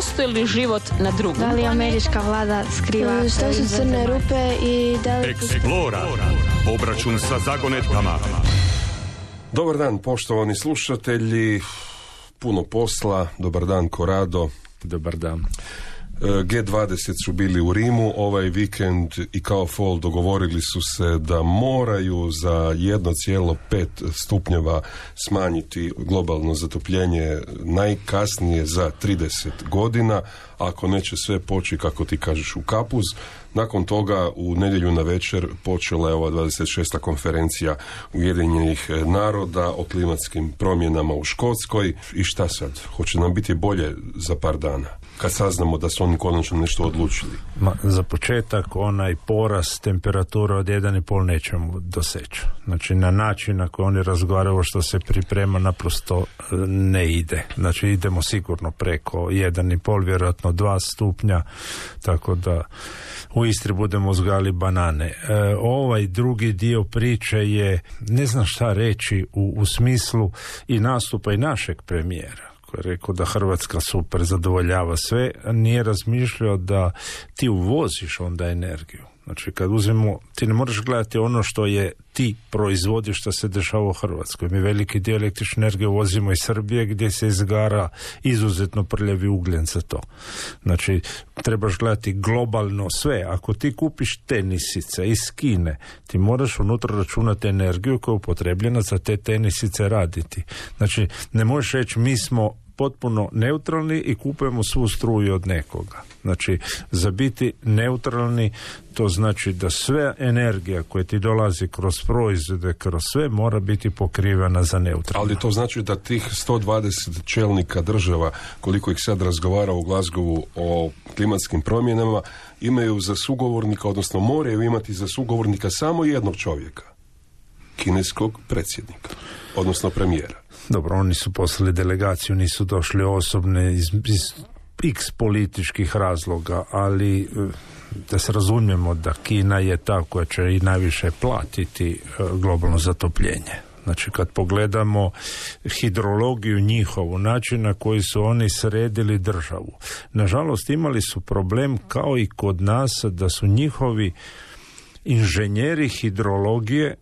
postoji li život na drugom? Da li američka vlada skriva? Što su crne rupe i da li... Explora. Obračun sa zagonetkama. Dobar dan, poštovani slušatelji. Puno posla. Dobar dan, Korado. Dobar dan. G20 su bili u Rimu ovaj vikend i kao fol dogovorili su se da moraju za 1,5 stupnjeva smanjiti globalno zatopljenje najkasnije za 30 godina, ako neće sve poći, kako ti kažeš, u kapuz. Nakon toga u nedjelju na večer počela je ova 26. konferencija Ujedinjenih naroda o klimatskim promjenama u Škotskoj. I šta sad? Hoće nam biti bolje za par dana, kad saznamo da su oni konačno nešto odlučili? Za početak, onaj porast temperatura od 1,5 nećemo doseći. Znači, na način na koji oni razgovaraju što se priprema naprosto ne ide. Znači, idemo sigurno preko 1,5, vjerojatno 2 stupnja, tako da u Istri budemo uzgajali banane. Ovaj drugi dio priče je, ne znam šta reći u smislu i nastupa i našeg premijera, koji je rekao da Hrvatska super zadovoljava sve, nije razmišljao da ti uvoziš onda energiju. Znači, kad uzmemo, ti ne moraš gledati ono što je ti proizvodiš, što se dešava u Hrvatskoj. Mi veliki dio električne energije uvozimo iz Srbije, gdje se izgara izuzetno prljavi ugljen za to. Znači, trebaš gledati globalno sve. Ako ti kupiš tenisice iz Kine, ti moraš unutra računati energiju koja je upotrebljena za te tenisice raditi. Znači, ne možeš reći mi smo potpuno neutralni i kupujemo svu struju od nekoga. Znači, za biti neutralni, to znači da sve energija koja ti dolazi kroz proizvode, kroz sve, mora biti pokrivena za neutralno. Ali to znači da tih 120 čelnika država, koliko ih sad razgovara u Glasgowu o klimatskim promjenama, imaju za sugovornika, odnosno moraju imati za sugovornika samo jednog čovjeka. Kineskog predsjednika, odnosno premijera. Dobro, oni su poslali delegaciju, nisu došli osobne iz x političkih razloga, ali da se razumijemo da Kina je ta koja će i najviše platiti globalno zatopljenje. Znači, kad pogledamo hidrologiju njihovu, način na koji su oni sredili državu, nažalost imali su problem kao i kod nas da su njihovi inženjeri hidrologije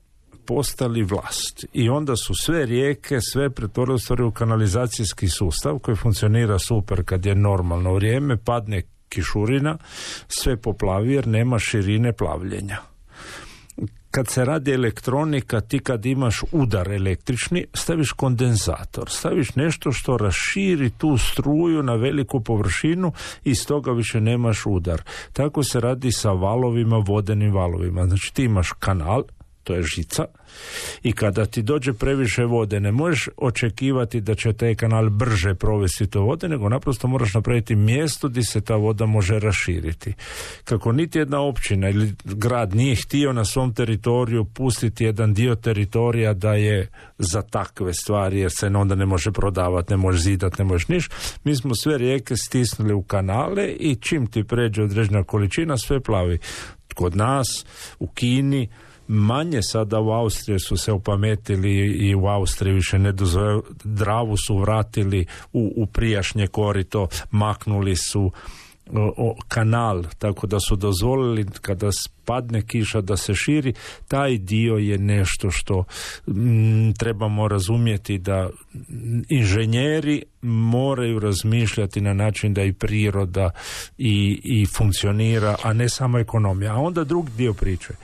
postali vlast. I onda su sve rijeke, sve pretvorili u kanalizacijski sustav koji funkcionira super kad je normalno vrijeme, padne kišurina, sve poplavi jer nema širine plavljenja. Kad se radi elektronika, ti kad imaš udar električni, staviš kondenzator, staviš nešto što raširi tu struju na veliku površinu i iz toga više nemaš udar. Tako se radi sa valovima, vodenim valovima. Znači, ti imaš kanal, to je žica, i kada ti dođe previše vode, ne možeš očekivati da će taj kanal brže provesti to vode, nego naprosto moraš napraviti mjesto gdje se ta voda može raširiti. Kako niti jedna općina ili grad nije htio na svom teritoriju pustiti jedan dio teritorija da je za takve stvari, jer se onda ne može prodavati, ne može zidati, ne možeš niš, mi smo sve rijeke stisnuli u kanale i čim ti pređe određena količina, sve plavi. Kod nas, u Kini, manje sada u Austriji su se opametili i u Austriji više ne dozvoljavaju, Dravu su vratili u prijašnje korito, maknuli su kanal, tako da su dozvolili kada padne kiša da se širi. Taj dio je nešto što trebamo razumjeti, da inženjeri moraju razmišljati na način da i priroda i funkcionira, a ne samo ekonomija. A onda drugi dio priče,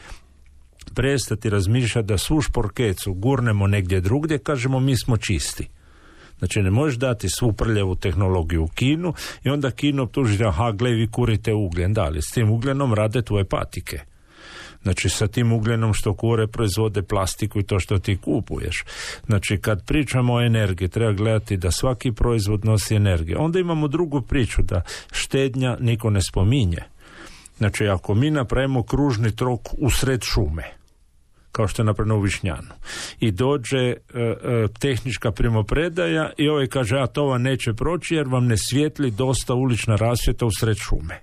prestati razmišljati da svu šporkecu gurnemo negdje drugdje, kažemo mi smo čisti. Znači, ne možeš dati svu prljavu tehnologiju u Kinu i onda Kinu optužiti, aha, gle, vi kurite ugljen. Da, ali s tim ugljenom rade tvoje patike. Znači, sa tim ugljenom što kure proizvode plastiku i to što ti kupuješ. Znači, kad pričamo o energiji, treba gledati da svaki proizvod nosi energiju. Onda imamo drugu priču, da štednja niko ne spominje. Znači, ako mi napravimo kružni trok usred šume, kao što je napravljeno u Višnjanu, i dođe tehnička primopredaja i ovaj kaže, a to vam neće proći jer vam ne svijetli dosta ulična rasvjeta usred šume.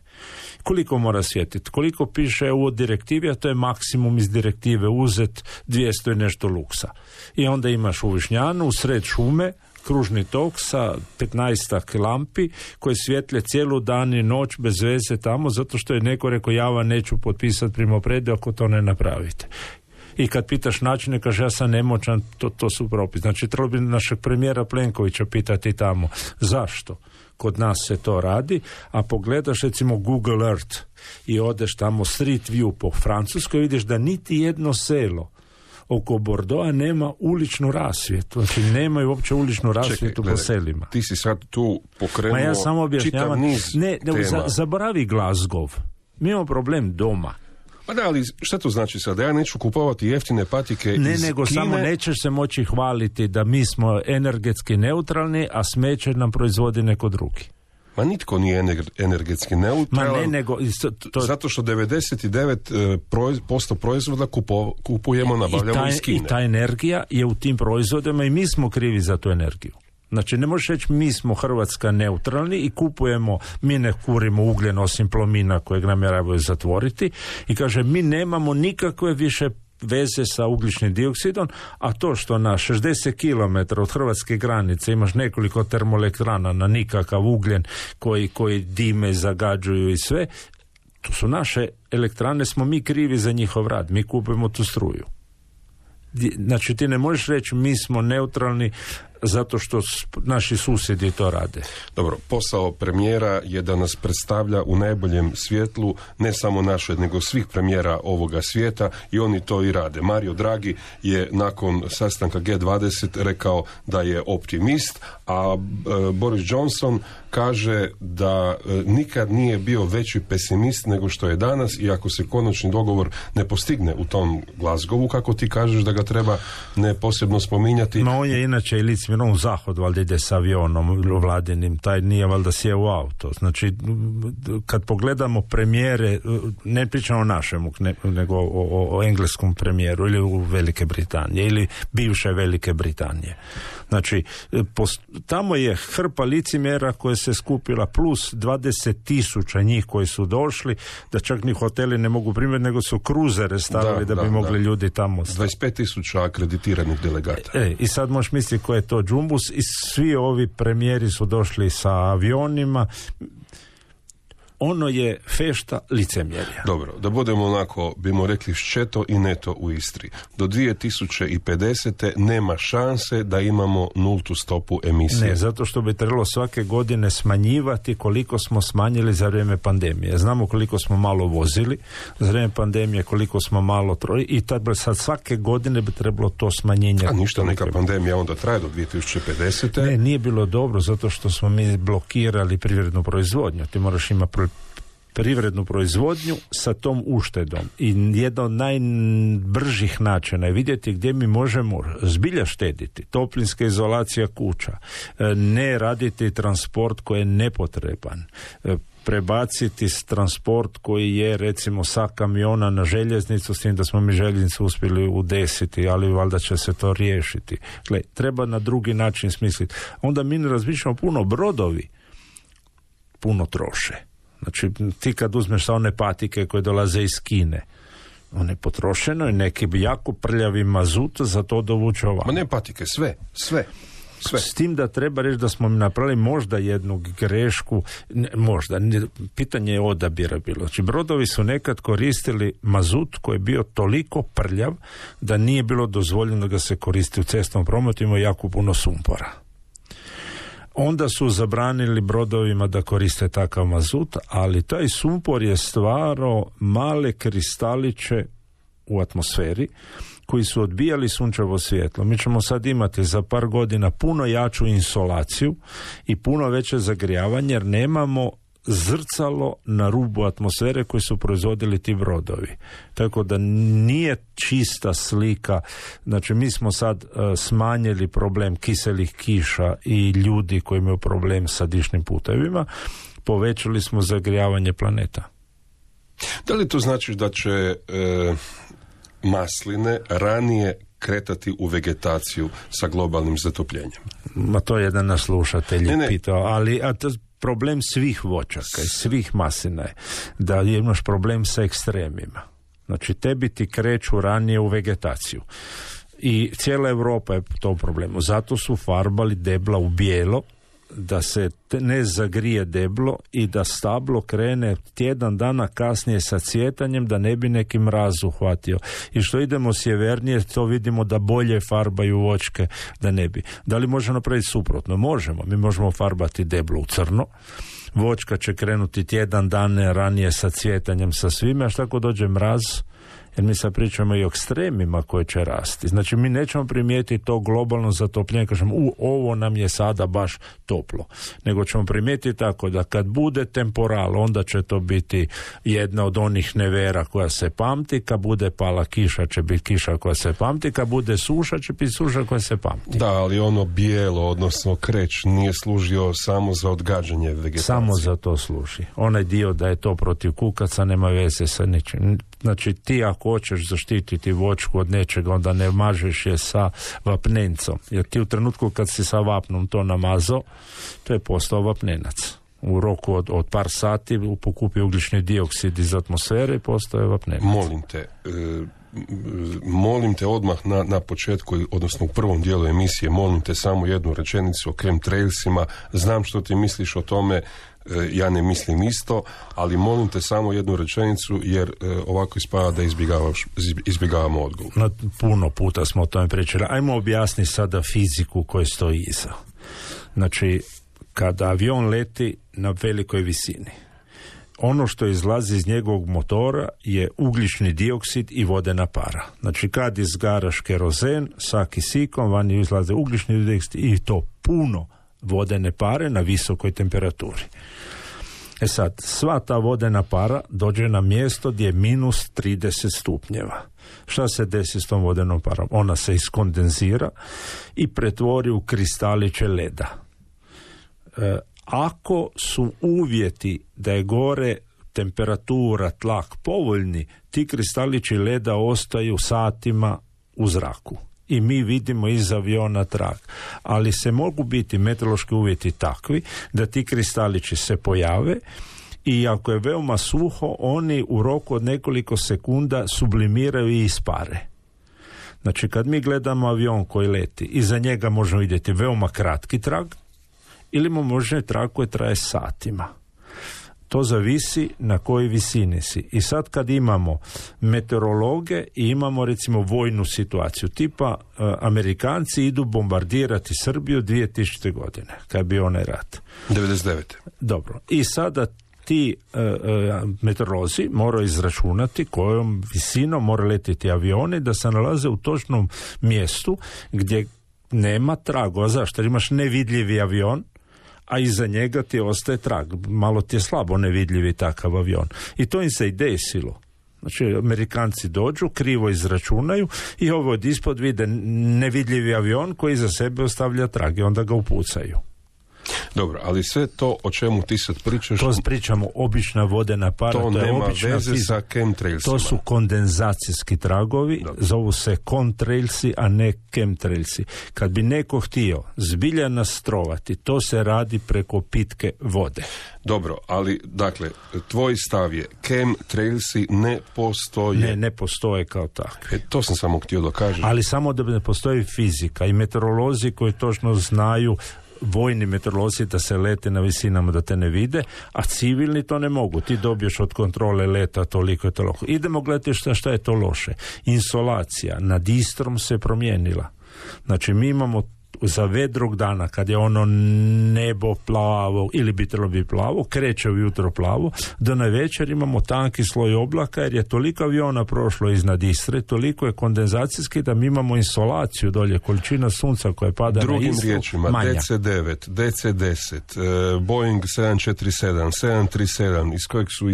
Koliko mora svjetiti? Koliko piše u direktivi, a to je maksimum iz direktive uzet 200 i nešto luksa. I onda imaš u Višnjanu, usred šume, kružni tok sa 15 lampi koje svjetle cijelu dan i noć bez veze tamo, zato što je neko rekao ja vam neću potpisati primopredaju ako to ne napravite. I kad pitaš načine, kaže ja sam nemoćan, to su propisi. Znači trebalo bi našeg premijera Plenkovića pitati tamo zašto kod nas se to radi, a pogledaš recimo Google Earth i odeš tamo Street View po Francuskoj, vidiš da niti jedno selo oko Bordeauxa nema uličnu rasvjetu. Znači nemaju uopće uličnu rasvjetu po selima. Ti si sad tu pokrenuo ja samo čitav niz tema. Zaboravi Glasgow. Mi imamo problem doma. Pa da, ali šta to znači sad? Ja neću kupovati jeftine patike iz nego Kine. Samo nećeš se moći hvaliti da mi smo energetski neutralni, a smeće nam proizvodi neko drugi. Ma nitko nije energetski neutralan. Zato što 99% proizvoda kupujemo, nabavljamo iz Kine. I ta energija je u tim proizvodima i mi smo krivi za tu energiju. Znači ne možeš reći mi smo Hrvatska neutralni i kupujemo, mi ne kurimo ugljen osim Plomina kojeg namjeravaju zatvoriti i kaže mi nemamo nikakve više veze sa ugljičnim dioksidom, a to što na 60 km od hrvatske granice imaš nekoliko termoelektrana na nikakav ugljen koji dime, zagađuju i sve, to su naše elektrane, smo mi krivi za njihov rad, mi kupujemo tu struju. Znači ti ne možeš reći mi smo neutralni zato što naši susjedi to rade. Dobro, posao premijera je da nas predstavlja u najboljem svjetlu, ne samo naše, nego svih premijera ovoga svijeta i oni to i rade. Mario Draghi je nakon sastanka G20 rekao da je optimist, a Boris Johnson kaže da nikad nije bio veći pesimist nego što je danas i ako se konačni dogovor ne postigne u tom Glasgowu, kako ti kažeš da ga treba ne posebno spominjati. No on je inače i u zahod valjda ide s avionom vladinim, taj nije valjda sjeo u auto. Znači, kad pogledamo premijere, ne pričamo o našemu, nego o engleskom premijeru ili u Velike Britanije ili bivše Velike Britanije. Znači, tamo je hrpa licemjera koja se skupila plus 20,000 njih koji su došli, da čak ni hoteli ne mogu primiti, nego su kruzere stavili da bi mogli ljudi tamo staviti. 25,000 akreditiranih delegata. I sad možeš misliti ko je to džumbus i svi ovi premijeri su došli sa avionima. Ono je fešta licemjerja. Dobro, da budemo onako, bimo rekli ščeto i neto u Istri. Do 2050. nema šanse da imamo nultu stopu emisije. Ne, zato što bi trebalo svake godine smanjivati koliko smo smanjili za vrijeme pandemije. Znamo koliko smo malo vozili, za vrijeme pandemije koliko smo malo i sad svake godine bi trebalo to smanjenje. A ništa, neka pandemija onda traje do 2050. Ne, nije bilo dobro zato što smo mi blokirali privrednu proizvodnju. Ti moraš imati privrednu proizvodnju sa tom uštedom i jedan od najbržih načina je vidjeti gdje mi možemo zbilja štediti. Toplinska izolacija kuća, ne raditi transport koji je nepotreban, prebaciti transport koji je recimo sa kamiona na željeznicu, s tim da smo mi željeznicu uspjeli udesiti, ali valjda će se to riješiti. Gle, treba na drugi način smisliti. Onda mi ne razmišljamo puno, brodovi puno troše. Znači, ti kad uzmeš sa one patike koje dolaze iz Kine, one potrošeno i neki jako prljavi mazut za to dovuče ovako. Ma ne patike, sve. S tim da treba reći da smo napravili možda jednu grešku, pitanje je odabira bilo. Znači, brodovi su nekad koristili mazut koji je bio toliko prljav da nije bilo dozvoljeno da ga se koristi u cestnom prometu, ima jako puno sumpora. Onda su zabranili brodovima da koriste takav mazut, ali taj sumpor je stvarao male kristaliće u atmosferi koji su odbijali sunčevo svjetlo. Mi ćemo sad imati za par godina puno jaču insolaciju i puno veće zagrijavanje jer nemamo zrcalo na rubu atmosfere koji su proizvodili ti brodovi. Tako da nije čista slika. Znači mi smo sad smanjili problem kiselih kiša i ljudi koji imaju problem sa dišnim putevima, povećali smo zagrijavanje planeta. Da li to znači da će masline ranije kretati u vegetaciju sa globalnim zatopljenjem? Ma to je jedan naš slušatelj pitao, ali problem svih voćaka i svih maslina je da imaš problem sa ekstremima. Znači tebi ti kreću ranije u vegetaciju I cijela Europa je to u problemu. Zato su farbali debla u bijelo, da se ne zagrije deblo i da stablo krene tjedan dana kasnije sa cvjetanjem, da ne bi neki mraz uhvatio. I što idemo sjevernije, to vidimo da bolje farbaju voćke, da ne bi. Da li možemo napraviti suprotno? Možemo. Mi možemo farbati deblo u crno. Voćka će krenuti tjedan dana ranije sa cvjetanjem, sa svime, a šta ako dođe mraz? Jer mi sad pričamo i o ekstremima koje će rasti. Znači mi nećemo primijetiti to globalno zatopljenje, kažemo ovo nam je sada baš toplo. Nego ćemo primijetiti tako da kad bude temporal, onda će to biti jedna od onih nevera koja se pamti, kad bude pala kiša će biti kiša koja se pamti, kad bude suša će biti suša koja se pamti. Da, ali ono bijelo, odnosno kreć, nije služio samo za odgađanje vegetacije. Samo za to služi. Onaj dio da je to protiv kukaca nema veze sa ničim. Znači ti ako hoćeš zaštititi voćku od nečega, onda ne mažeš je sa vapnencom. Jer ti u trenutku kad si sa vapnom to namazao, to je postao vapnenac. U roku od par sati pokupi ugljični dioksid iz atmosfere i postaje vapnenac. Molim te odmah na početku, odnosno u prvom dijelu emisije, molim te samo jednu rečenicu o chemtrailsima. Znam što ti misliš o tome, ja ne mislim isto, ali molim te samo jednu rečenicu, jer ovako ispada da izbjegavamo odgovor. Puno puta smo o tome pričali. Ajmo objasniti sada fiziku koja stoji iza. Znači, kada avion leti na velikoj visini, ono što izlazi iz njegovog motora je ugljični dioksid i vodena para. Znači, kad izgaraš kerozen sa kisikom, vani izlaze ugljični dioksid i to puno vodene pare na visokoj temperaturi. E sad, sva ta vodena para dođe na mjesto gdje je minus 30 stupnjeva. Šta se desi s tom vodenom parom? Ona se iskondenzira i pretvori u kristaliće leda. Ako su uvjeti da je gore temperatura, tlak povoljni, ti kristalići leda ostaju satima u zraku. I mi vidimo iz aviona trag. Ali se mogu biti meteorološki uvjeti takvi da ti kristalići se pojave i ako je veoma suho, oni u roku od nekoliko sekunda sublimiraju i ispare. Znači, kad mi gledamo avion koji leti, iza njega možemo vidjeti veoma kratki trag ili možemo trag koji traje satima. To zavisi na kojoj visini si. I sad kad imamo meteorologe i imamo recimo vojnu situaciju, tipa Amerikanci idu bombardirati Srbiju 2000. godine, kad je bio onaj rat. 99. Dobro. I sada ti meteorolozi moraju izračunati kojom visinom moraju letiti avioni da se nalaze u točnom mjestu gdje nema tragova. Zašto? Jer imaš nevidljivi avion, a iza njega ti ostaje trag. Malo ti je slabo nevidljivi takav avion. I to im se i desilo. Znači, Amerikanci dođu, krivo izračunaju i ovo od ispod vide nevidljivi avion koji iza sebe ostavlja trag i onda ga upucaju. Dobro, ali sve to o čemu ti sad pričaš... To pričamo obična vodena para. To je nema veze sa chemtrailsima. To su kondenzacijski tragovi, dobro. Zovu se contrailsi, a ne chemtrailsi. Kad bi neko htio zbilja nastrovati, to se radi preko pitke vode. Dobro, ali, dakle, tvoj stav je chemtrailsi ne postoje. Ne postoje kao takve. To sam samo htio da kažem. Ali samo da ne postoji fizika i meteorolozi koji točno znaju, vojni meteorolozi, da se lete na visinama da te ne vide, a civilni to ne mogu. Ti dobiješ od kontrole leta toliko i toliko. Idemo gledati šta je to loše. Insolacija nad Istrom se promijenila. Znači mi imamo za vedrog dana, kad je ono nebo plavo ili bi trebalo biti plavo, kreće ujutro plavo, do navečer imamo tanki sloj oblaka jer je toliko aviona prošlo iznad Istre, toliko je kondenzacijski da mi imamo insolaciju dolje, količina sunca koja pada na Istru. Drugim riječima, DC-9, DC-10, Boeing 747, 737, iz kojeg su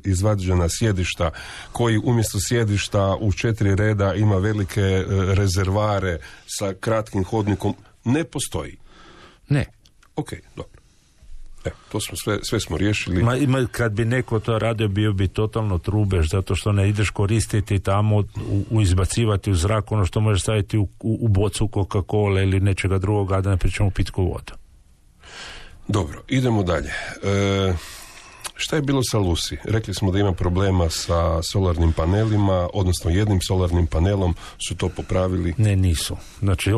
izvađena sjedišta, koji umjesto sjedišta u 4 reda ima velike rezervare sa kratkim hodnikom, ne postoji. Ne. Ok, dobro. To smo sve smo riješili. Kad bi neko to radio, bio bi totalno trubež, zato što ne ideš koristiti tamo, izbacivati u zrak ono što možeš staviti u bocu Coca-Cola ili nečega drugoga, da ne pričamo pitku vodu. Dobro, idemo dalje. Šta je bilo sa Lucy? Rekli smo da ima problema sa solarnim panelima, odnosno jednim solarnim panelom, su to popravili? Ne, nisu. Znači,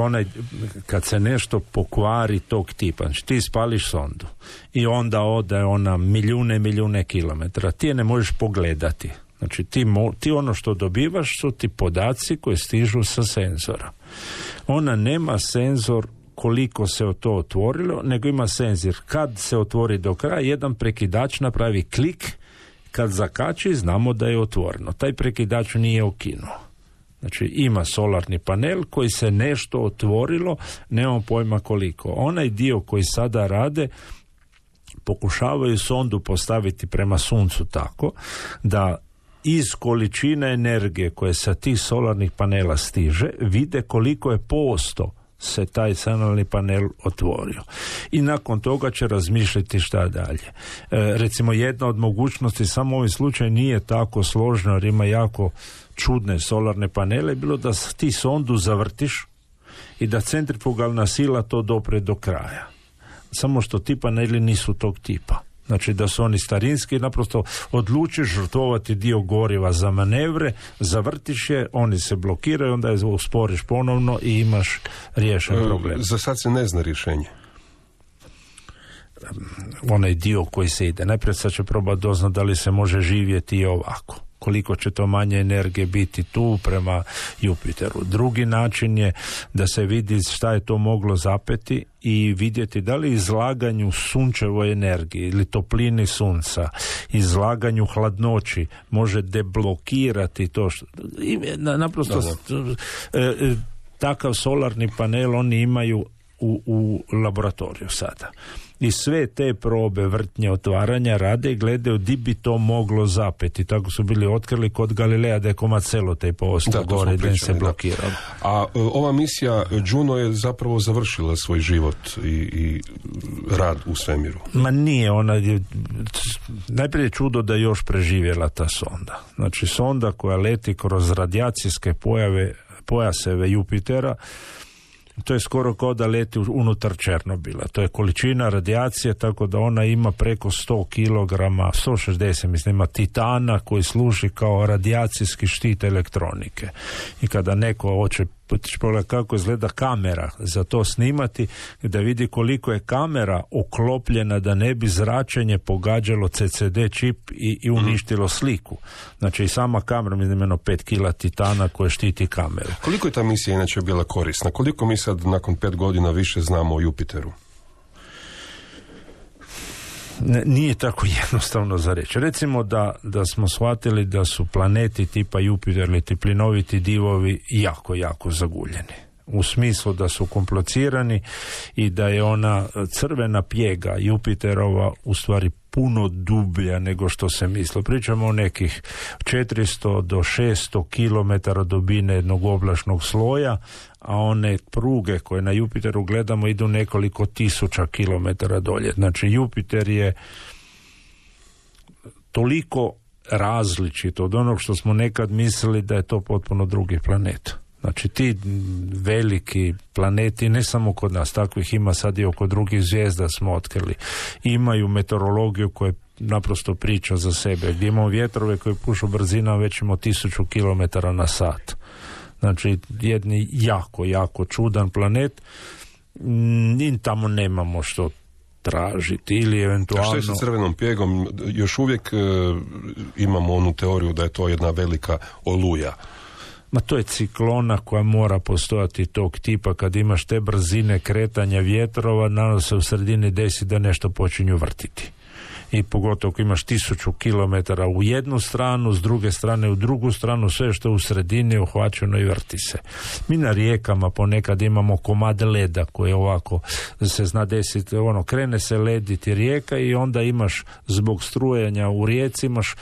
kad se nešto pokvari tog tipa, znači ti spališ sondu i onda ode ona milijune kilometara, ti je ne možeš pogledati. Znači, ti ono što dobivaš su ti podaci koji stižu sa senzora. Ona nema senzor koliko se to otvorilo, nego ima senzor. Kad se otvori do kraja, jedan prekidač napravi klik, kad zakači, znamo da je otvoreno. Taj prekidač nije ukinuo. Znači, ima solarni panel koji se nešto otvorilo, nemamo pojma koliko. Onaj dio koji sada rade, pokušavaju sondu postaviti prema suncu tako da iz količine energije koje sa tih solarnih panela stiže, vide koliko je posto se taj solarni panel otvorio. I nakon toga će razmišljati šta dalje. Recimo, jedna od mogućnosti, samo u ovim slučaju nije tako složno, jer ima jako čudne solarne panele, bilo da ti sondu zavrtiš i da centrifugalna sila to dopre do kraja. Samo što ti paneli nisu tog tipa. Znači da su oni starinski, naprosto odlučiš žrtvovati dio goriva za manevre, zavrtiš je, oni se blokiraju, onda je usporiš ponovno i imaš riješen problem. Za sad se ne zna rješenje. Onaj dio koji se ide. Najprije sad će probati doznat da li se može živjeti i ovako. Koliko će to manje energije biti tu prema Jupiteru. Drugi način je da se vidi šta je to moglo zapeti i vidjeti da li izlaganju sunčevoj energiji ili toplini sunca, izlaganju hladnoći može deblokirati to što... Naprosto takav solarni panel oni imaju u laboratoriju sada. I sve te probe vrtnje otvaranja rade i gledaju di bi to moglo zapeti. Tako su bili otkrili kod Galileja da je komad selotejpa ostao gore, da se blokirao. A ova misija Juno je zapravo završila svoj život i rad u svemiru. Ma nije, ona je najprije čudo da je još preživjela ta sonda. Znači sonda koja leti kroz radijacijske pojaseve Jupitera, to je skoro kao da leti unutar Černobila. To je količina radijacije, tako da ona ima preko 100 kilograma, 160 mislim, ima titana koji služi kao radijacijski štit elektronike. I kada neko hoće pogledati kako izgleda kamera za to snimati, da vidi koliko je kamera oklopljena da ne bi zračenje pogađalo CCD čip i uništilo sliku. Znači i sama kamera, mislim, 5 kila titana koje štiti kameru. Koliko je ta misija inače bila korisna? Koliko mi sad nakon 5 godina više znamo o Jupiteru? Nije tako jednostavno za reći. Recimo da smo shvatili da su planeti tipa Jupiter ili ti plinoviti divovi jako zaguljeni. U smislu da su komplicirani i da je ona crvena pjega Jupiterova u stvari puno dublja nego što se mislo. Pričamo o nekih 400 do 600 kilometara dubine jednog oblačnog sloja, a one pruge koje na Jupiteru gledamo idu nekoliko tisuća kilometara dolje. Znači Jupiter je toliko različit od onog što smo nekad mislili da je to potpuno drugi planet. Znači ti veliki planeti, ne samo kod nas, takvih ima sad i oko drugih zvijezda smo otkrili, imaju meteorologiju koja naprosto priča za sebe, gdje imamo vjetrove koji pušu brzinom već imamo 1000 km na sat. Znači jedni jako čudan planet, i tamo nemamo što tražiti ili eventualno... A što je sa crvenom pjegom? Još uvijek imamo onu teoriju da je to jedna velika oluja. Ma to je ciklona koja mora postojati tog tipa. Kad imaš te brzine kretanja vjetrova, naravno se u sredini desi da nešto počinju vrtiti. I pogotovo ako imaš 1000 km u jednu stranu, s druge strane u drugu stranu, sve što je u sredini uhvaćeno i vrti se. Mi na rijekama ponekad imamo komad leda koji ovako se zna desiti, krene se lediti rijeka i onda imaš zbog strujanja u rijeci imaš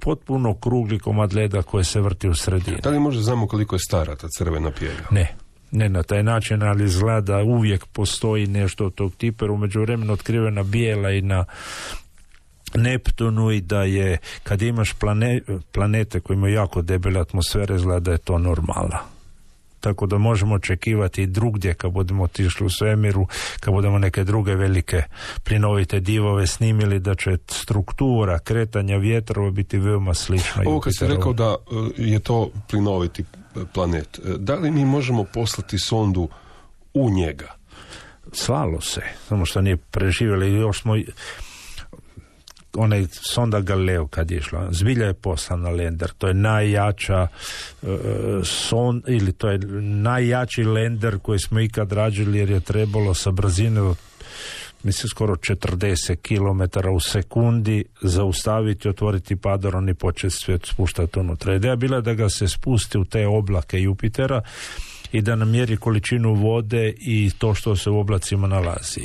potpuno krugli komad leda koji se vrti u sredini. Da li možda znamo koliko je stara ta crvena pjega? Ne na taj način, ali izgleda uvijek postoji nešto od tog tipa, u međuvremenu otkrivena bijela i na Neptunu, i da je kad imaš planete koji imaju jako debele atmosfere, izgleda da je to normala. tako da možemo očekivati i drugdje kad budemo otišli u svemiru, kad budemo neke druge velike plinovite divove snimili, da će struktura kretanja vjetrova biti veoma slična. Ovo kad si rekao da je to plinoviti planet, da li mi možemo poslati sondu u njega? Slalo se, samo što nije preživjeli. Još smo onaj sonda Galileo kad je išla, zbilja je poslan na lender. To je najjača ili to je najjači lender koji smo ikad rađili, jer je trebalo sa brzine mislim skoro 40 km u sekundi zaustaviti, otvoriti padron i početi svijet spuštati unutra. Ideja bila da ga se spusti u te oblake Jupitera i da namjeri količinu vode i to što se u oblacima nalazi.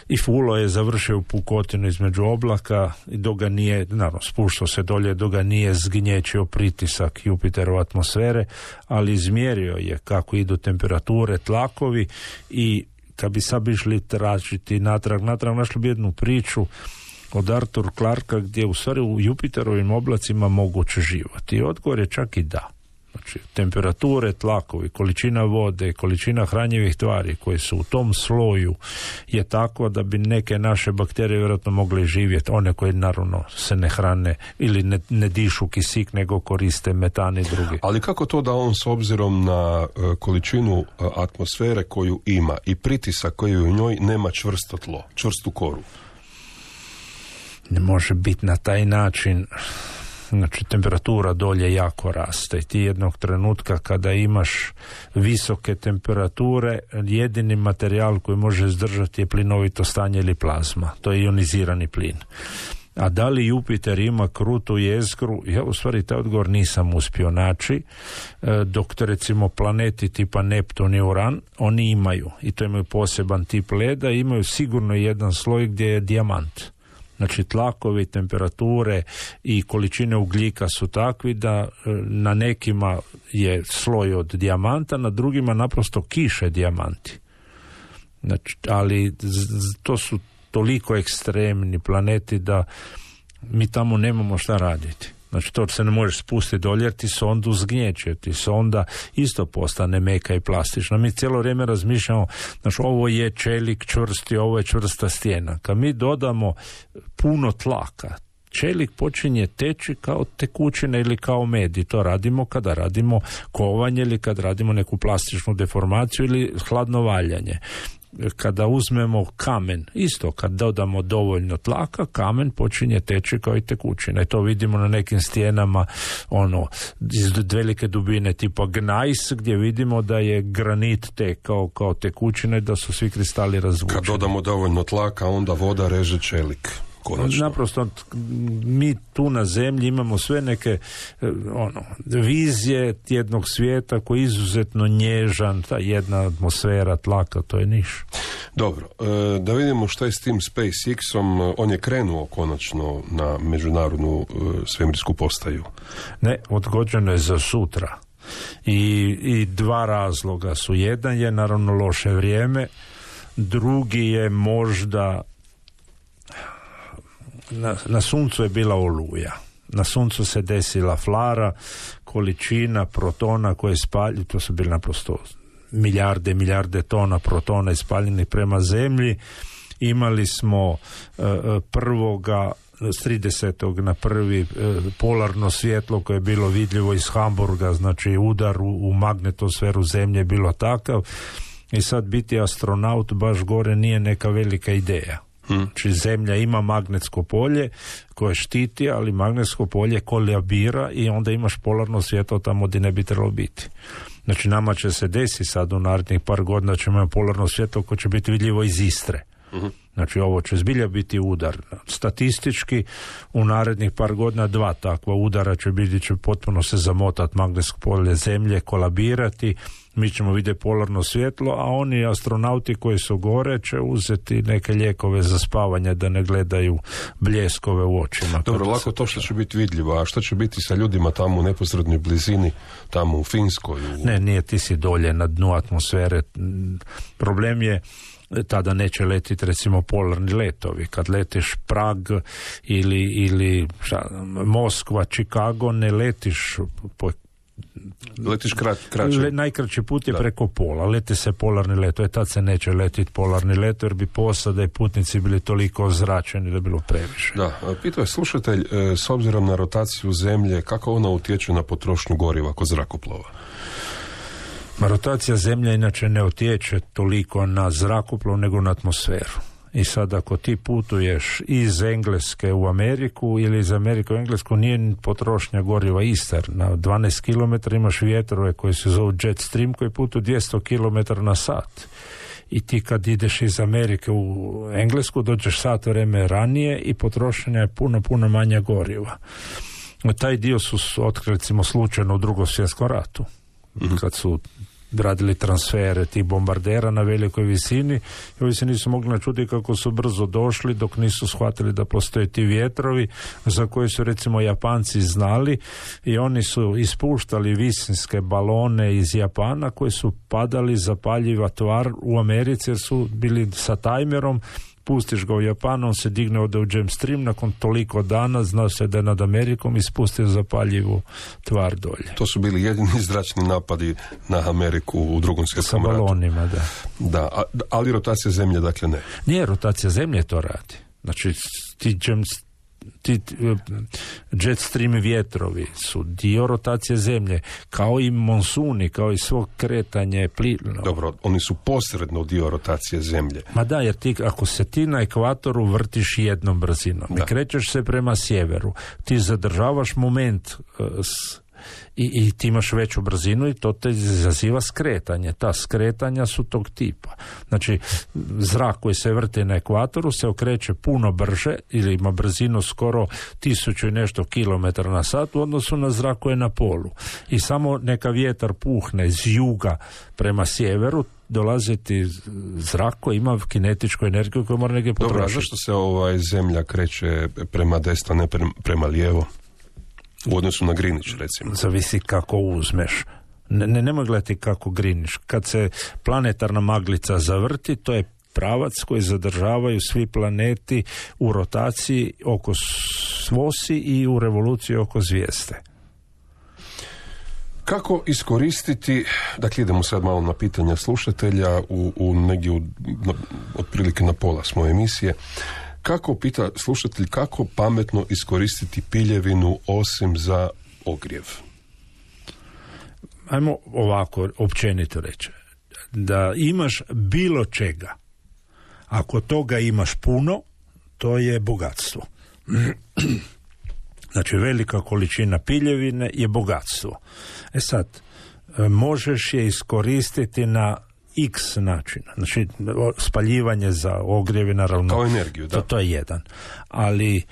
I fulo je završio u pukotinu između oblaka i dok ga nije, naravno, spuštao se dolje, dok ga nije zgnječio pritisak Jupiterove atmosfere, ali izmjerio je kako idu temperature, tlakovi i kad bi sad išli tražiti natrag našli bi jednu priču od Arthur Clarka gdje u stvari u Jupiterovim oblacima moguće život. I odgovor je čak i da. Znači, temperature, tlakovi, količina vode, količina hranjivih tvari koje su u tom sloju je tako da bi neke naše bakterije vjerojatno mogle živjeti, one koje naravno se ne hrane ili ne dišu kisik, nego koriste metan i drugi. Ali kako to da on s obzirom na količinu atmosfere koju ima i pritisak koji u njoj nema čvrsto tlo, čvrstu koru? Ne može biti na taj način. Znači, temperatura dolje jako raste i ti jednog trenutka kada imaš visoke temperature, jedini materijal koji može izdržati je plinovito stanje ili plazma. To je ionizirani plin. A da li Jupiter ima krutu jezgru? Ja u stvari taj odgovor nisam uspio naći, dok recimo planeti tipa Neptun i Uran, oni imaju, i to imaju poseban tip leda, imaju sigurno jedan sloj gdje je dijamant. Znači, tlakovi, temperature i količine ugljika su takvi da na nekima je sloj od dijamanta, na drugima naprosto kiše dijamanti. Znači, ali to su toliko ekstremni planeti da mi tamo nemamo šta raditi. Znači, to se ne možeš spustiti dolje jer ti sondu zgnječe, ti sonda isto postane meka i plastična. Mi cijelo vrijeme razmišljamo, znači, ovo je čelik čvrsti, ovo je čvrsta stijena. Kad mi dodamo puno tlaka, čelik počinje teći kao tekućina ili kao med, i to radimo kada radimo kovanje ili kad radimo neku plastičnu deformaciju ili hladno valjanje. Kada uzmemo kamen, isto kad dodamo dovoljno tlaka, kamen počinje teći kao i tekućina. I to vidimo na nekim stijenama iz velike dubine tipa gnajs, gdje vidimo da je granit tekao kao tekućina i da su svi kristali razvučeni. Kad dodamo dovoljno tlaka, onda voda reže čelik. Konačno. Naprosto mi tu na zemlji imamo sve neke vizije jednog svijeta koji je izuzetno nježan, ta jedna atmosfera tlaka, to je niš. Dobro, da vidimo što je s tim SpaceX-om. On je krenuo konačno na međunarodnu svemirsku postaju. Ne, odgođeno je za sutra. I dva razloga su. Jedan je naravno loše vrijeme, drugi je možda na suncu je bila oluja. Na suncu se desila flara, količina protona koje spaljuju, to su bili naprosto milijarde tona protona ispaljenih prema zemlji. Imali smo prvoga s 30. na prvi polarno svjetlo koje je bilo vidljivo iz Hamburga, znači udar u magnetosferu zemlje je bilo takav. I sad biti astronaut baš gore nije neka velika ideja. Znači, zemlja ima magnetsko polje koje štiti, ali magnetsko polje kolabira i onda imaš polarno svjetlo tamo gdje ne bi trebalo biti. Znači, nama će se desiti sad u narednih par godina ćemo imati polarno svjetlo koje će biti vidljivo iz Istre. Znači, ovo će zbilja biti udar. Statistički u narednih par godina 2 takva udara će biti, će potpuno se zamotati magnetsko polje zemlje, kolabirati, mi ćemo vidjeti polarno svjetlo, a oni astronauti koji su gore će uzeti neke lijekove za spavanje da ne gledaju bljeskove u očima. Dobro, lako to što će biti vidljivo, a što će biti sa ljudima tamo u neposrednoj blizini, tamo u Finskoj? Ne, nije, ti si dolje na dnu atmosfere. Problem je tada neće letiti recimo polarni letovi. Kad letiš Prag ili Moskva, Chicago, ne letiš po Letiš kraće? Najkraći put je preko pola. Leti se polarni let. Tad se neće letiti polarni let, jer bi posada i putnici bili toliko ozračeni da je bilo previše. Da, pitao je slušatelj, s obzirom na rotaciju zemlje, kako ona utječe na potrošnju goriva kod zrakoplova? Rotacija zemlje inače ne utječe toliko na zrakoplov nego na atmosferu. I sad ako ti putuješ iz Engleske u Ameriku ili iz Amerike u Englesku, nije potrošnja goriva ista. Na 12 km imaš vjetrove koji se zovu jet stream koji putuju 200 km na sat. I ti kad ideš iz Amerike u Englesku dođeš sat vreme ranije i potrošnja je puno manja goriva. Taj dio su otkrili recimo slučajno u Drugom svjetskom ratu. Kad su radili transfere tih bombardera na velikoj visini i ovi se nisu mogli načuti kako su brzo došli dok nisu shvatili da postoje ti vjetrovi za koje su recimo Japanci znali i oni su ispuštali visinske balone iz Japana koji su padali zapaljiva tvar u Americi jer su bili sa tajmerom. Pustiš ga u Japanu, on se digne ode u jet stream, nakon toliko dana zna se da je nad Amerikom ispustio zapaljivu tvar dolje. To su bili jedini zračni napadi na Ameriku u Drugom svjetskom ratu. Sa balonima, da. Da, ali rotacija zemlje, dakle ne. Nije, rotacija zemlje to radi. Znači, ti jet stream vjetrovi su dio rotacije zemlje, kao i monsuni, kao i svo kretanje plina. Dobro, oni su posredno dio rotacije zemlje. Ma da, jer ti, ako se ti na ekvatoru vrtiš jednom brzinom i krećeš se prema sjeveru, ti zadržavaš moment i ti imaš veću brzinu i to te izaziva skretanje. Ta skretanja su tog tipa. Znači, zrak koji se vrti na ekvatoru se okreće puno brže ili ima brzinu skoro 1000 i nešto kilometara na sat u odnosu na zrak koji je na polu. I samo neka vjetar puhne iz juga prema sjeveru, dolazi ti zrak koji ima kinetičku energiju koju mora negdje potrošiti. Dobro, a zašto se zemlja kreće prema desno, ne prema lijevo? U odnosu na Greenwich, recimo. Zavisi kako uzmeš. Nemoj gledati kako Greenwich. Kad se planetarna maglica zavrti, to je pravac koji zadržavaju svi planeti u rotaciji oko svosi i u revoluciji oko zvijezde. Kako iskoristiti, dakle idemo sad malo na pitanja slušatelja, negdje otprilike na pola s moje emisije. Kako, pita slušatelj, kako pametno iskoristiti piljevinu osim za ogrjev? Ajmo ovako općenito reći. Da imaš bilo čega, ako toga imaš puno, to je bogatstvo. Znači, velika količina piljevine je bogatstvo. Sad, možeš je iskoristiti na x načina. Znači, spaljivanje za ogrjev, naravno. Kao energiju, da. To je jedan. Ali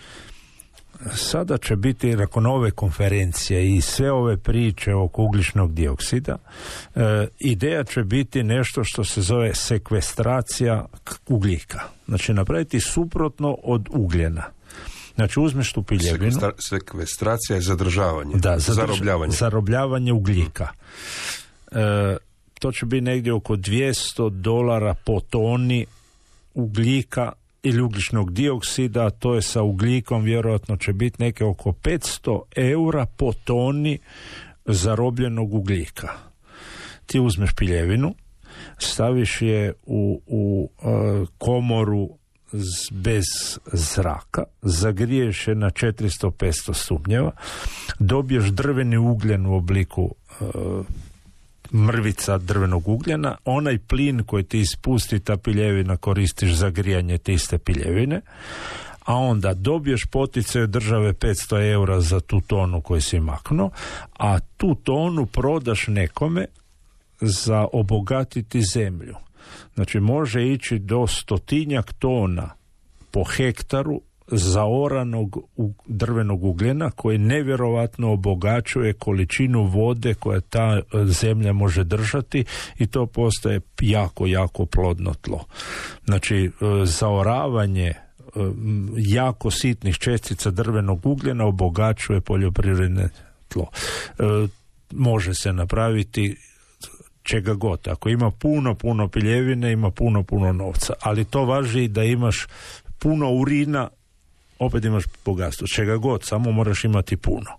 sada će biti, nakon ove konferencije i sve ove priče oko ugljičnog dioksida, ideja će biti nešto što se zove sekvestracija ugljika. Znači, napraviti suprotno od ugljena. Znači, uzmeš tu piljevinu. Sekvestracija je zadržavanje. Da, zarobljavanje. Zarobljavanje ugljika. To će biti negdje oko $200 po toni ugljika ili ugljičnog dioksida, to je sa ugljikom vjerojatno će biti neke oko €500 po toni zarobljenog ugljika. Ti uzmeš piljevinu, staviš je u komoru bez zraka, zagriješ je na 400-500 stupnjeva, dobiješ drveni ugljen u obliku mrvica drvenog ugljena, onaj plin koji ti ispusti ta piljevina koristiš za grijanje te iste piljevine, a onda dobiješ poticaj od države €500 za tu tonu koju si maknuo, a tu tonu prodaš nekome za obogatiti zemlju. Znači, može ići do 100 tona po hektaru zaoranog drvenog ugljena koji nevjerovatno obogaćuje količinu vode koja ta zemlja može držati i to postaje jako, jako plodno tlo. Znači, zaoravanje jako sitnih čestica drvenog ugljena obogaćuje poljoprivredne tlo. Može se napraviti čega god. Ako ima puno piljevine, ima puno novca. Ali to važi da imaš puno urina, opet imaš bogatstvo. Čega god, samo moraš imati puno.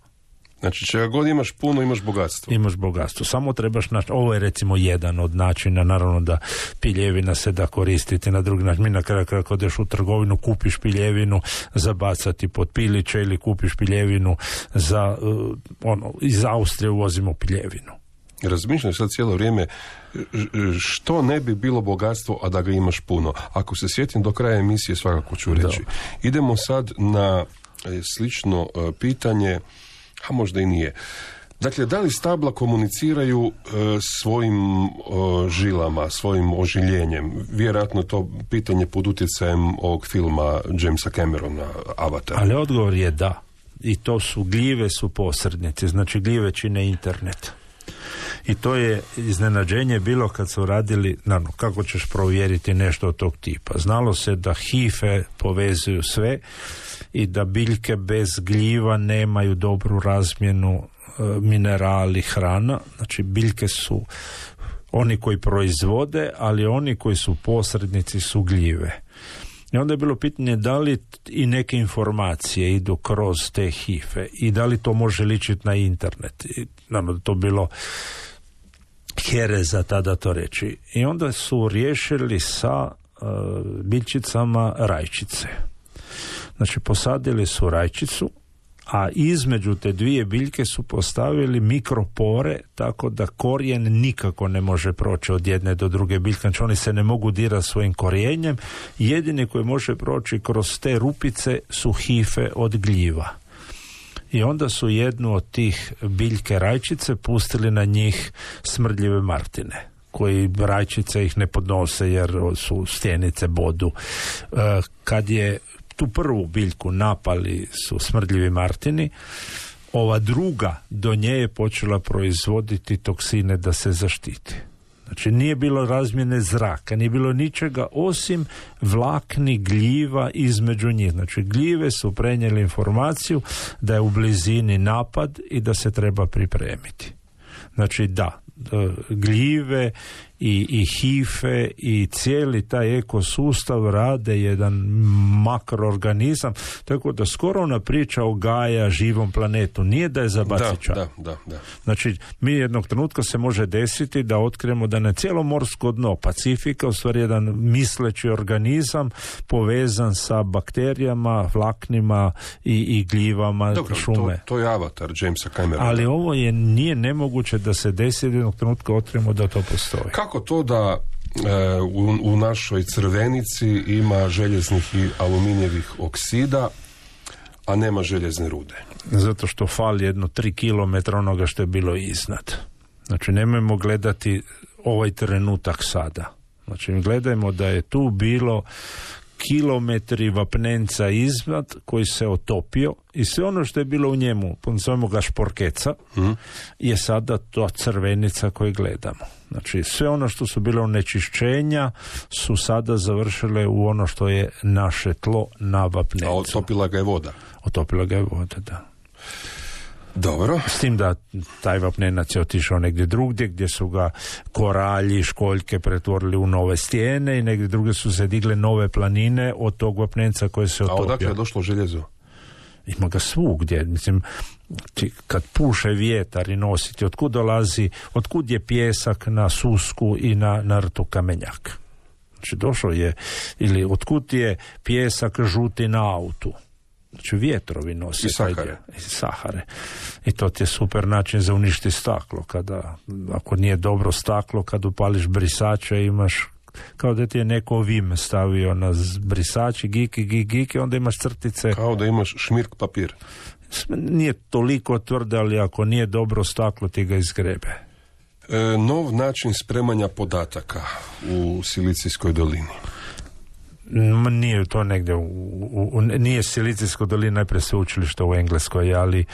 Znači, čega god imaš puno, imaš bogatstvo. Imaš bogatstvo. Samo trebaš naći, ovo je recimo jedan od načina, naravno da piljevina se da koristiti na drugi način. Mi na kraju kada odeš u trgovinu, kupiš piljevinu za bacati pod piliće ili kupiš piljevinu za, iz Austrije uvozimo piljevinu. Razmišljam sad cijelo vrijeme što ne bi bilo bogatstvo, a da ga imaš puno. Ako se sjetim do kraja emisije, svakako ću reći. Idemo sad na slično pitanje, a možda i nije. Dakle, da li stabla komuniciraju svojim žilama, svojim ožiljenjem? Vjerojatno to pitanje pod utjecajem ovog filma Jamesa Camerona, Avatar. Ali odgovor je da. I to su gljive su posrednici, znači gljive čine internet. I to je iznenađenje bilo kad su radili, naravno, kako ćeš provjeriti nešto od tog tipa. Znalo se da hife povezuju sve i da biljke bez gljiva nemaju dobru razmjenu minerali, hrana. Znači biljke su oni koji proizvode, ali oni koji su posrednici su gljive. I onda je bilo pitanje da li i neke informacije idu kroz te hife i da li to može ličiti na internet. I, naravno, to bilo hereza tada to reći. I onda su riješili sa biljčicama rajčice. Znači, posadili su rajčicu, a između te dvije biljke su postavili mikropore, tako da korijen nikako ne može proći od jedne do druge biljke. Znači, oni se ne mogu dirati svojim korijenjem. Jedini koji može proći kroz te rupice su hife od gljiva. I onda su jednu od tih biljke rajčice pustili na njih smrdljive martine, koji rajčice ih ne podnose jer su stjenice bodu. Kad je tu prvu biljku napali su smrdljivi martini, ova druga do nje je počela proizvoditi toksine da se zaštiti. Znači, nije bilo razmjene zraka, nije bilo ničega osim vlakni gljiva između njih. Znači, gljive su prenijeli informaciju da je u blizini napad i da se treba pripremiti. Znači, da, gljive i hife i cijeli taj ekosustav rade jedan makroorganizam, tako da skoro ona priča o Gaja, živom planetu, nije da je za basića. Da. Znači, mi jednog trenutka se može desiti da otkrijemo da na cijelo morsko dno Pacifika u stvari jedan misleći organizam povezan sa bakterijama, vlaknima i gljivama. Dobro, šume. To je Avatar Jamesa Camerona. Ali ovo nije nemoguće da se desi jednog trenutka otkrijemo da to postoji. Kako to da u našoj Crvenici ima željeznih i aluminijevih oksida, a nema željezne rude? Zato što fali jedno 3 kilometra onoga što je bilo iznad. Znači, nemojmo gledati ovaj trenutak sada. Znači, gledajmo da je tu bilo kilometri vapnenca iznad koji se otopio i sve ono što je bilo u njemu, zovemo ga šporkeca, je sada to Crvenica koju gledamo. Znači, sve ono što su bile onečišćenja su sada završile u ono što je naše tlo na vapnencu. A otopila ga je voda? Otopila ga je voda, da. Dobro. S tim da taj vapnenac je otišao negdje drugdje gdje su ga koralji, školjke pretvorili u nove stijene i negdje drugdje su se digle nove planine od tog vapnenca koje se otopio. A odakle je došlo željezo? Ima ga svugdje. Mislim, kad puše vjetar i nositi, otkud je pjesak na Susku i na rtu Kamenjak? Znači, došlo je, ili otkud je pjesak žuti na autu? Znači, vjetrovi nose i Sahare. I to ti je super način za uništi staklo. Ako nije dobro staklo, kad upališ brisače, imaš kao da ti je neko vim stavio na brisači, giki, onda imaš crtice. Kao da imaš šmirk papir. Nije toliko tvrde, ali ako nije dobro staklo, ti ga izgrebe. Nov način spremanja podataka u Silicijskoj dolini. Nije to negdje nije Silicijsko dolina, najprije sveučilište u Engleskoj, ali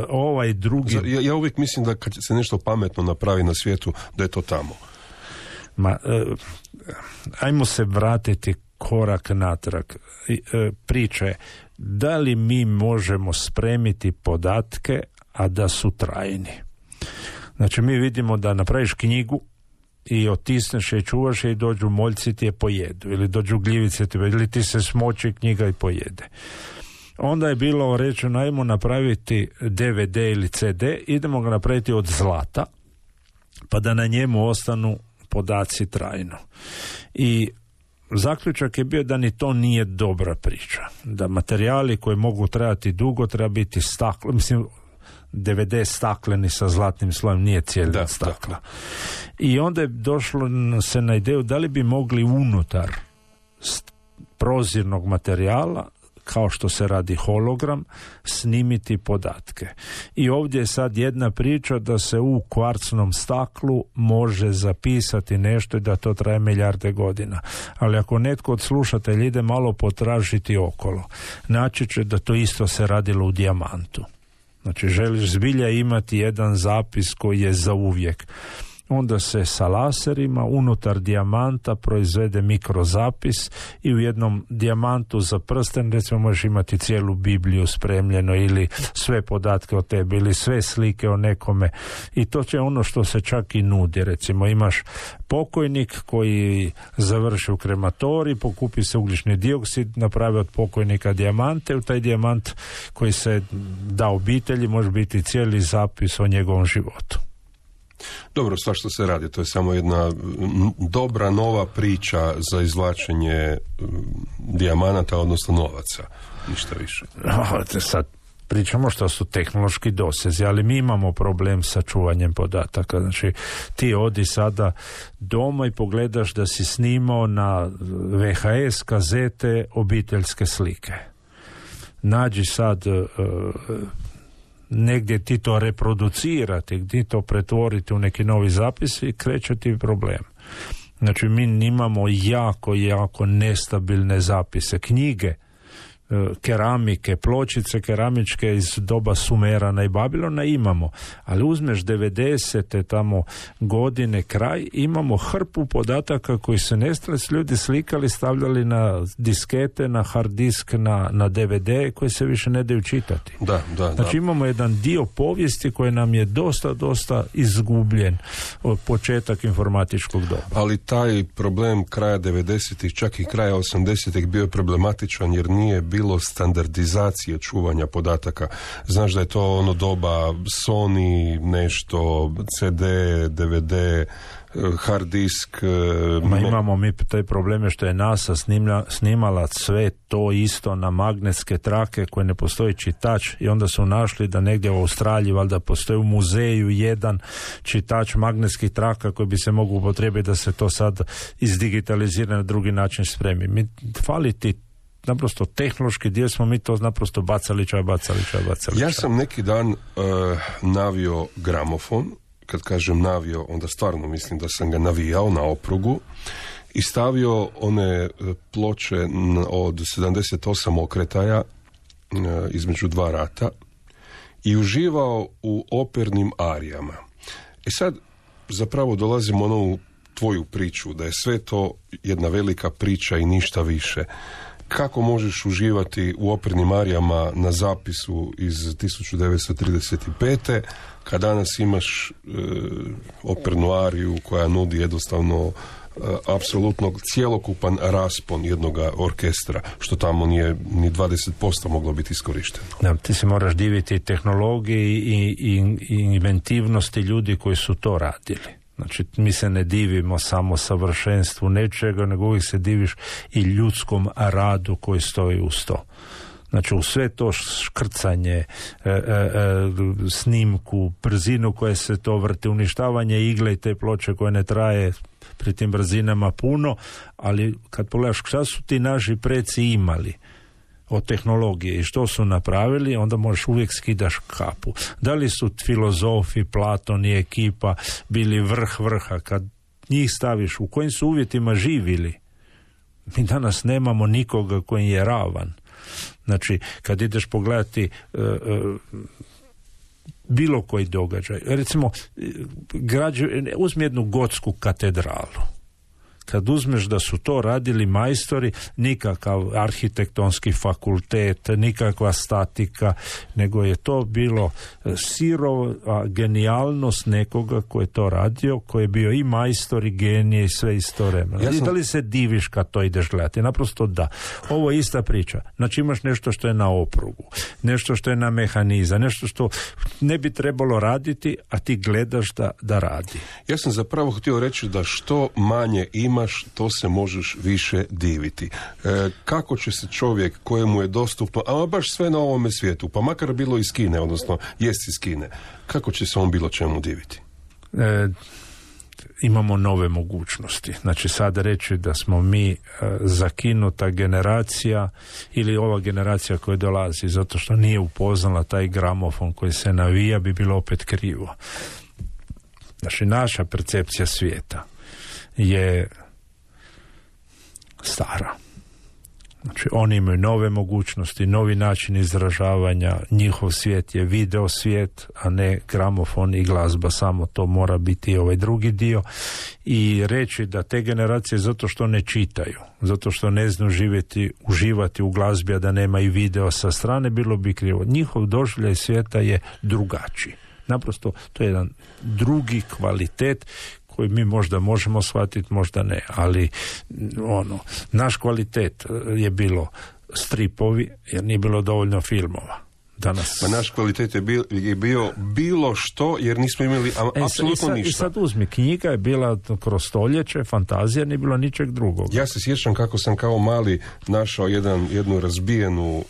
ovaj drugi... Ja uvijek mislim da kad se nešto pametno napravi na svijetu, da je to tamo. Ajmo se vratiti korak natrag. Priče, da li mi možemo spremiti podatke, a da su trajni? Znači, mi vidimo da napraviš knjigu i otisneš je i čuvaš je i dođu moljci ti je pojedu, ili dođu gljivice ti ili ti se smoči knjiga i pojede. Onda je bilo rečeno, ajmo napraviti DVD ili CD, idemo ga napraviti od zlata, pa da na njemu ostanu podaci trajno. I zaključak je bio da ni to nije dobra priča. Da materijali koji mogu trajati dugo treba biti staklo, mislim, DVD stakleni sa zlatnim slojem, nije cijeli stakla. I onda je došlo se na ideju da li bi mogli unutar prozirnog materijala, kao što se radi hologram, snimiti podatke. I ovdje je sad jedna priča da se u kvarcnom staklu može zapisati nešto i da to traje milijarde godina. Ali ako netko od slušatelja ide malo potražiti okolo, naći će da to isto se radilo u dijamantu. Znači, želiš zbilja imati jedan zapis koji je za uvijek. Onda se sa laserima unutar dijamanta proizvede mikrozapis i u jednom dijamantu za prsten recimo možeš imati cijelu Bibliju spremljeno ili sve podatke o tebi ili sve slike o nekome i to će ono što se čak i nudi. Recimo imaš pokojnik koji završi u krematoriji, pokupi se ugljični dioksid, napravi od pokojnika dijamante, u taj dijamant koji se da obitelji može biti cijeli zapis o njegovom životu. Dobro, svašta se radi, to je samo jedna dobra nova priča za izvlačenje dijamanata, odnosno novaca, ništa više. Sad pričamo što su tehnološki dosezi, ali mi imamo problem sa čuvanjem podataka. Znači, ti odi sada doma i pogledaš da si snimao na VHS kazete obiteljske slike. Nađi sad negdje ti to reproducirati, gdje to pretvoriti u neki novi zapis i kreće ti problem. Znači mi imamo jako nestabilne zapise, knjige, keramike, pločice keramičke iz doba Sumerana i Babilona imamo, ali uzmeš 90. tamo godine kraj, imamo hrpu podataka koji se nestali, ljudi slikali, stavljali na diskete, na hard disk, na DVD koji se više ne daju čitati. Znači imamo jedan dio povijesti koji nam je dosta izgubljen od početak informatičkog doba. Ali taj problem kraja 90-ih, čak i kraja 80-ih bio je problematičan jer nije bilo standardizacije čuvanja podataka. Znaš da je to ono doba Sony, nešto, CD, DVD, hard disk. Imamo mi taj problem što je NASA snimala sve to isto na magnetske trake koje ne postoji čitač i onda su našli da negdje u Australiji valjda postoji u muzeju jedan čitač magnetskih traka koji bi se mogu upotrijebiti da se to sad izdigitalizira na drugi način spremi. Mi fali ti naprosto tehnološki dio smo mi to naprosto bacali. Ja sam neki dan navio gramofon. Kad kažem navio, onda stvarno mislim da sam ga navijao na oprugu i stavio one ploče od 78 okretaja između dva rata i uživao u opernim arijama. I sad zapravo dolazimo na ovu tvoju priču, da je sve to jedna velika priča i ništa više. Kako možeš uživati u opernim arijama na zapisu iz 1935. kad danas imaš opernu ariju koja nudi jednostavno apsolutno cjelokupan raspon jednog orkestra, što tamo nije ni 20% moglo biti iskorišteno. Da, ti se moraš diviti tehnologiji i inventivnosti ljudi koji su to radili. Znači, mi se ne divimo samo savršenstvu nečega, nego uvijek se diviš i ljudskom radu koji stoji uz to. Znači, u sve to škrcanje, snimku, brzinu koje se to vrti, uništavanje igle i te ploče koje ne traje pri tim brzinama puno, ali kad pogledaš šta su ti naši preci imali od tehnologije i što su napravili, onda možeš uvijek skidaš kapu. Da li su filozofi, Platon i ekipa bili vrha, kad njih staviš, u kojim su uvjetima živjeli? Mi danas nemamo nikoga koji je ravan. Znači, kad ideš pogledati bilo koji događaj, recimo uzmi jednu gotsku katedralu. kad uzmeš da su to radili majstori, nikakav arhitektonski fakultet, nikakva statika, nego je to bilo sirova genijalnost nekoga ko je to radio, ko je bio i majstor i genije i sve istovremeno. I da li se diviš kad to ideš gledati? Naprosto da. Ovo je ista priča. Znači imaš nešto što je na oprugu, nešto što je na mehanizam, nešto što ne bi trebalo raditi, a ti gledaš da radi. Ja sam zapravo htio reći da što manje imaš, to se možeš više diviti. Kako će se čovjek kojemu je dostupno, a baš sve na ovome svijetu, pa makar bilo iz Kine, odnosno jest iz Kine, kako će se on bilo čemu diviti? Imamo nove mogućnosti. Znači sada reći da smo mi zakinuta generacija ili ova generacija koja dolazi zato što nije upoznala taj gramofon koji se navija, bi bilo opet krivo. Znači naša percepcija svijeta je stara. Znači oni imaju nove mogućnosti, novi način izražavanja, njihov svijet je video svijet, a ne gramofon i glazba, samo to mora biti ovaj drugi dio. I reći da te generacije zato što ne čitaju, zato što ne znaju uživati u glazbi, a da nema i video sa strane, bilo bi krivo. Njihov doživljaj svijeta je drugačiji. Naprosto to je jedan drugi kvalitet koji mi možda možemo shvatiti, možda ne, ali naš kvalitet je bilo stripovi, jer nije bilo dovoljno filmova. Danas. Pa naš kvalitet je bio bilo što, jer nismo imali apsolutno ništa. I sad uzmi, knjiga je bila kroz stoljeće, fantazija, nije bilo ničeg drugog. Ja se sjećam kako sam kao mali našao jednu razbijenu,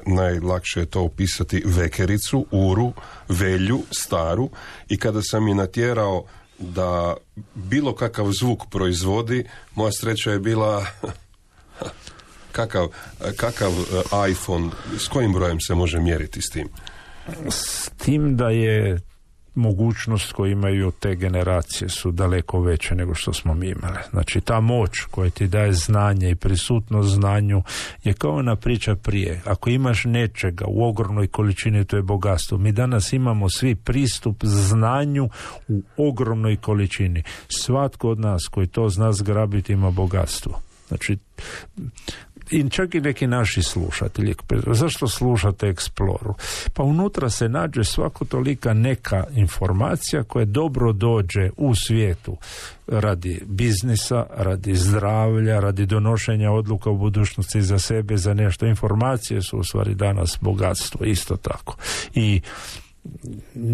najlakše je to opisati, vekericu, uru, velju, staru, i kada sam je natjerao da bilo kakav zvuk proizvodi, moja sreća je bila kakav iPhone, s kojim brojem se može mjeriti s tim? S tim da je mogućnost koju imaju te generacije su daleko veće nego što smo mi imali. Znači ta moć koja ti daje znanje i prisutnost znanju je kao ona priča prije. Ako imaš nečega u ogromnoj količini, to je bogatstvo. Mi danas imamo svi pristup znanju u ogromnoj količini. Svatko od nas koji to zna zgrabiti ima bogatstvo. Znači, i čak i neki naši slušatelji, zašto slušate Exploru? Pa unutra se nađe svako tolika neka informacija koja dobro dođe u svijetu radi biznisa, radi zdravlja, radi donošenja odluka u budućnosti za sebe, za nešto. Informacije su u stvari danas bogatstvo, isto tako. I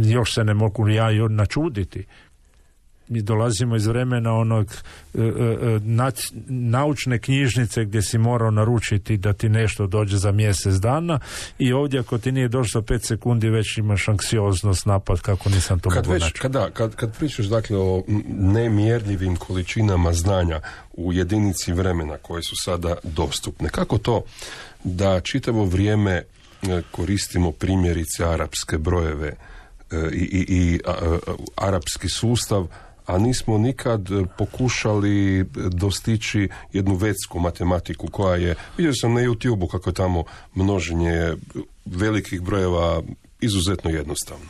još se ne mogu ja načuditi. Mi dolazimo iz vremena onog naučne knjižnice gdje si morao naručiti da ti nešto dođe za mjesec dana, i ovdje ako ti nije došlo 5 sekundi već imaš anksioznost, napad kako nisam to mogu naći. Kad pričaš dakle o nemjerljivim količinama znanja u jedinici vremena koje su sada dostupne, kako to da čitavo vrijeme koristimo primjerice arapske brojeve i arapski sustav, a nismo nikad pokušali dostići jednu vedsku matematiku koja je, vidio sam na YouTube-u kako je tamo množenje velikih brojeva izuzetno jednostavno.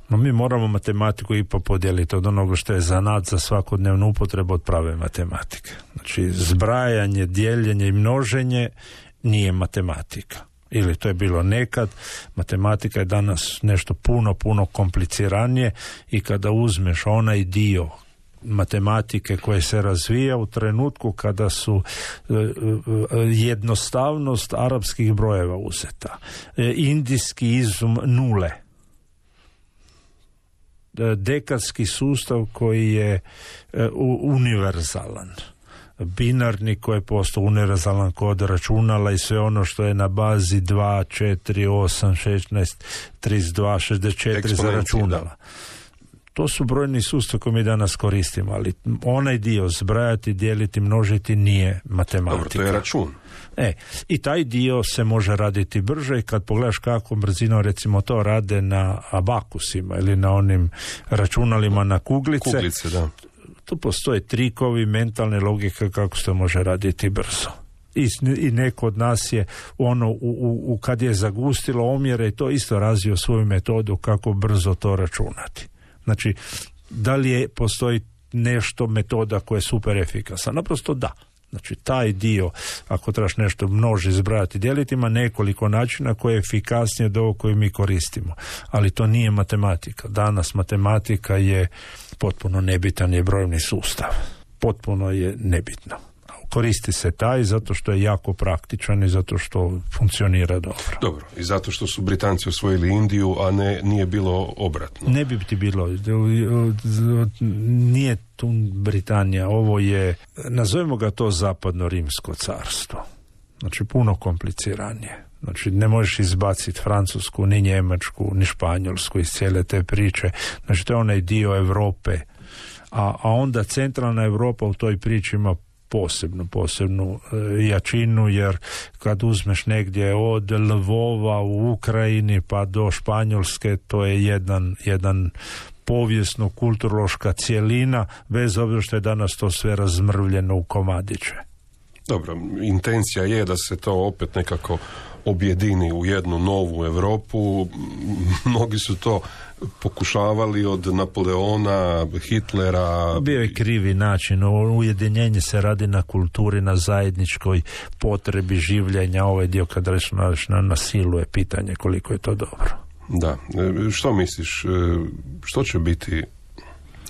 No mi moramo matematiku ipak podijeliti od onoga što je zanat za svakodnevnu upotrebu od prave matematike. Znači zbrajanje, dijeljenje i množenje nije matematika. Ili to je bilo nekad. Matematika je danas nešto puno kompliciranije, i kada uzmeš onaj dio matematike koje se razvija u trenutku kada su jednostavnost arapskih brojeva uzeta, indijski izum nule, dekadski sustav koji je univerzalan, binarni koji je postao univerzalan kod računala i sve ono što je na bazi 2, 4, 8, 16, 32, 64 za računala. Da. To su brojni sustav koji mi danas koristimo, ali onaj dio zbrajati, dijeliti, množiti nije matematika. Dobro, to je račun. I taj dio se može raditi brže, i kad pogledaš kako brzinom recimo to rade na abakusima ili na onim računalima na kuglice, da. Tu postoje trikovi, mentalne logike kako se to može raditi brzo. I neko od nas je kad je zagustilo omjere i to isto razvio svoju metodu kako brzo to računati. Znači, da li postoji nešto metoda koja je super efikasna. Naprosto da. Znači, taj dio, ako trebaš nešto množi, zbrajati, dijeliti, ima nekoliko načina koje je efikasnije od ovog koji mi koristimo. Ali to nije matematika. Danas matematika je potpuno nebitan je brojni sustav. Potpuno je nebitno. Koristi se taj zato što je jako praktičan i zato što funkcionira dobro. Dobro, i zato što su Britanci osvojili Indiju, a nije bilo obratno. Ne bi ti bilo. Nije tu Britanija. Ovo je, nazovimo ga to zapadno rimsko carstvo. Znači, puno kompliciranije. Znači, ne možeš izbaciti Francusku, ni Njemačku, ni Španjolsku iz cijele te priče. Znači, to je onaj dio Europe. A onda centralna Europa u toj priči ima posebnu jačinu, jer kad uzmeš negdje od Lvova u Ukrajini pa do Španjolske, to je jedan povijesno-kulturološka cjelina, bez obzira što je danas to sve razmrvljeno u komadiće. Dobro, intencija je da se to opet nekako objedini u jednu novu Europu. Mnogi su to pokušavali od Napoleona, Hitlera. Bio je krivi način. Ujedinjenje se radi na kulturi, na zajedničkoj potrebi življenja. Ovaj dio kad rečeš na silu je pitanje koliko je to dobro. Da. Što misliš? Što će biti?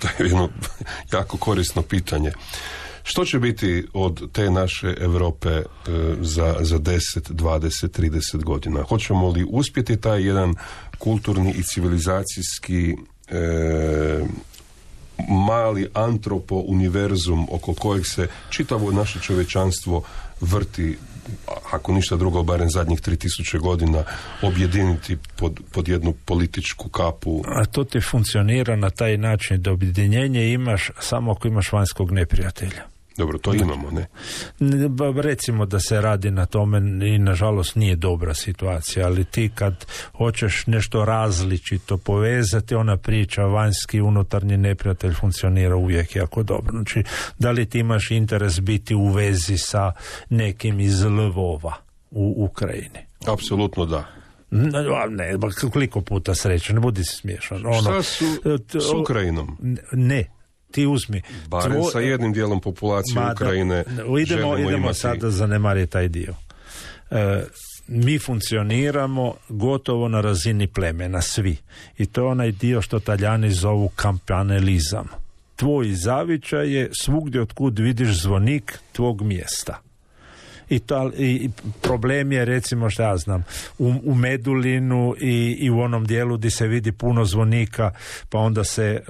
To je jedno jako korisno pitanje. Što će biti od te naše Europe za 10, 20, 30 godina? Hoćemo li uspjeti taj jedan kulturni i civilizacijski mali antropo-univerzum oko kojeg se čitavo naše čovječanstvo vrti, ako ništa drugo, barem zadnjih 3000 godina, objediniti pod jednu političku kapu? A to ti funkcionira na taj način da objedinjenje imaš samo ako imaš vanjskog neprijatelja. Dobro, to imamo, ne? Recimo da se radi na tome i nažalost nije dobra situacija, ali ti kad hoćeš nešto različito povezati, ona priča vanjski unutarnji neprijatelj funkcionira uvijek jako dobro. Znači, da li ti imaš interes biti u vezi sa nekim iz Lvova u Ukrajini? Apsolutno da. Ne, koliko puta sreće, ne budi smiješan. Šta su s Ukrajinom? Ne. Ti uzmi. Barem sa jednim dijelom populacije Ukrajine idemo sada zanemariti taj dio. Mi funkcioniramo gotovo na razini plemena, svi. I to je onaj dio što Talijani zovu kampanelizam. Tvoj zavičaj je svugdje otkud vidiš zvonik tvog mjesta. I problem je, recimo, što ja znam, u Medulinu i u onom dijelu gdje se vidi puno zvonika, pa onda se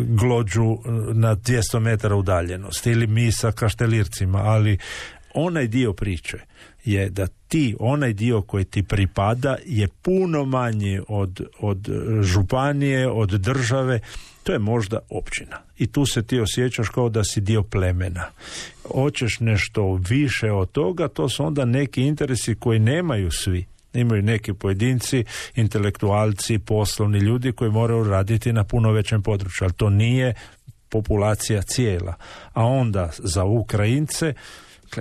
glođu na 200 metara udaljenosti, ili mi sa Kaštelircima, ali onaj dio priče je da onaj dio koji ti pripada je puno manji od županije, od države. To je možda općina. I tu se ti osjećaš kao da si dio plemena. Hoćeš nešto više od toga, to su onda neki interesi koji nemaju svi. Imaju neki pojedinci, intelektualci, poslovni ljudi koji moraju raditi na puno većem području, ali to nije populacija cijela. A onda za Ukrajince,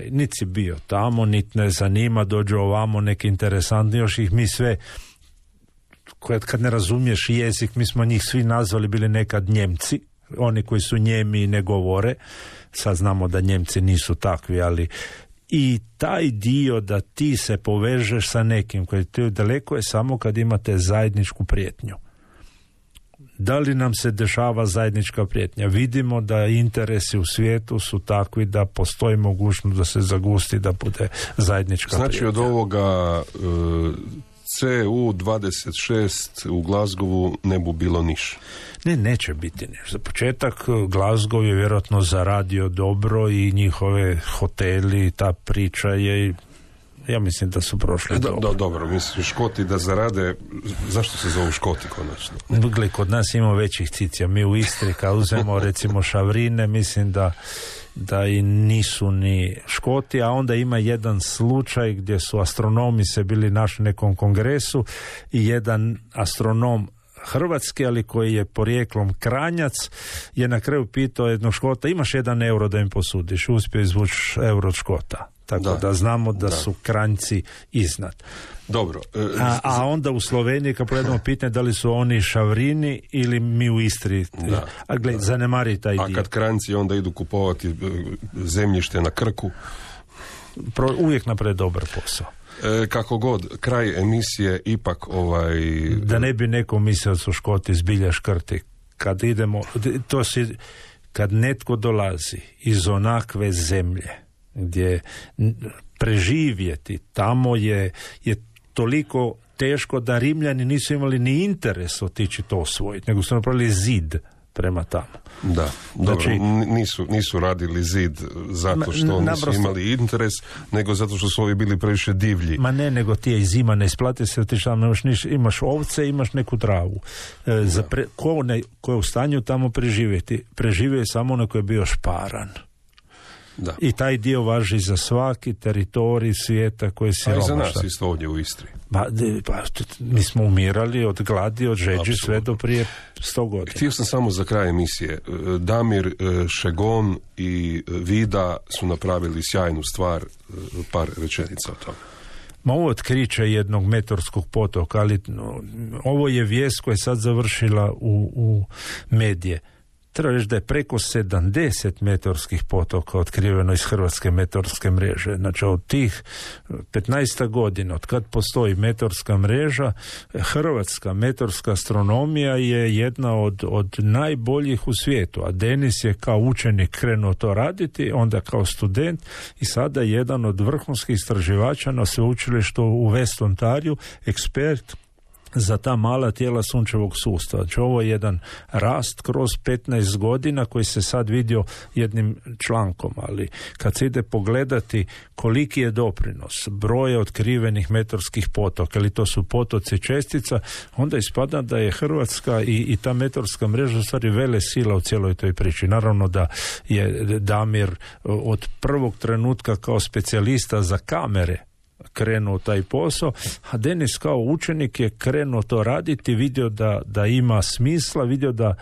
niti si bio tamo, niti ne zanima, dođu ovamo neki interesantni, još ih mi sve, kad ne razumiješ jezik, mi smo njih svi nazvali bili nekad Njemci, oni koji su Njemi i ne govore, sad znamo da Njemci nisu takvi, ali i taj dio da ti se povežeš sa nekim koji ti daleko je samo kad imate zajedničku prijetnju. Da li nam se dešava zajednička prijetnja? Vidimo da interesi u svijetu su takvi da postoji mogućnost da se zagusti, da bude zajednička prijetnja. Znači od ovoga CU26 u Glasgowu ne bu bilo niš. Neće biti niš. Za početak Glasgow je vjerojatno zaradio dobro i njihove hoteli, ta priča je, ja mislim da su prošli dobro. Dobro, mislim, Škoti da zarade, zašto se zovu Škoti konačno? Gle, kod nas imamo većih cicija. Mi u Istri kad uzmemo recimo Šavrine, mislim da i nisu ni Škoti, a onda ima jedan slučaj gdje su astronomi se bili našli nekom kongresu i jedan astronom Hrvatske, ali koji je porijeklom Kranjac, je na kraju pitao jednog Škota, imaš €1 da im posudiš, uspio izvući euro od Škota. Tako da znamo da su Kranjci iznad. Dobro. A onda u Sloveniji, kad pogledamo pitanje da li su oni Šavrini ili mi u Istri. A gled, zanemari taj dio. A kad Kranjci onda idu kupovati zemljište na Krku? Uvijek naprave dobar posao. Kako god, kraj emisije ipak Da ne bi neko mislio da su Škoti zbilja škrti. Kad idemo, kad netko dolazi iz onakve zemlje gdje preživjeti tamo je toliko teško da Rimljani nisu imali ni interes otići to osvojiti, nego su napravili zid prema tamo. Da, dobro, nisu radili zid zato što nisu imali interes, nego zato što su ovi bili previše divlji. Ma ne, nego ti je zima, ne isplati se otići tamo, imaš ovce, imaš neku travu. Ko je u stanju tamo preživjeti? Preživio je samo onaj koji je bio šparan. Da. I taj dio važi za svaki teritorij svijeta koji je siromašan. A i za nas isto ovdje u Istri. Mi smo umirali od gladi, od žeđi sve do prije 100 godina. Htio sam samo za kraj emisije. Damir, Šegon i Vida su napravili sjajnu stvar, par rečenica o tome. Ovo otkriće jednog meteorskog potoka, ali ovo je vijest koja je sad završila u medije. Treba reći da je preko 70 meteorskih potoka otkriveno iz hrvatske meteorske mreže. Znači od tih 15 godina, od kad postoji meteorska mreža, hrvatska meteorska astronomija je jedna od najboljih u svijetu. A Denis je kao učenik krenuo to raditi, onda kao student i sada jedan od vrhunskih istraživača na sveučilištu u West Ontariju, ekspert za ta mala tijela sunčevog sustava. Znači ovo je jedan rast kroz 15 godina koji se sad vidio jednim člankom, ali kad se ide pogledati koliki je doprinos broja otkrivenih meteorskih potoka, ili to su potoci čestica, onda ispada da je Hrvatska i ta meteorska mreža u stvari vele sila u cijeloj toj priči. Naravno da je Damir od prvog trenutka kao specijalista za kamere krenuo taj posao, a Denis kao učenik je krenuo to raditi, vidio da ima smisla, vidio da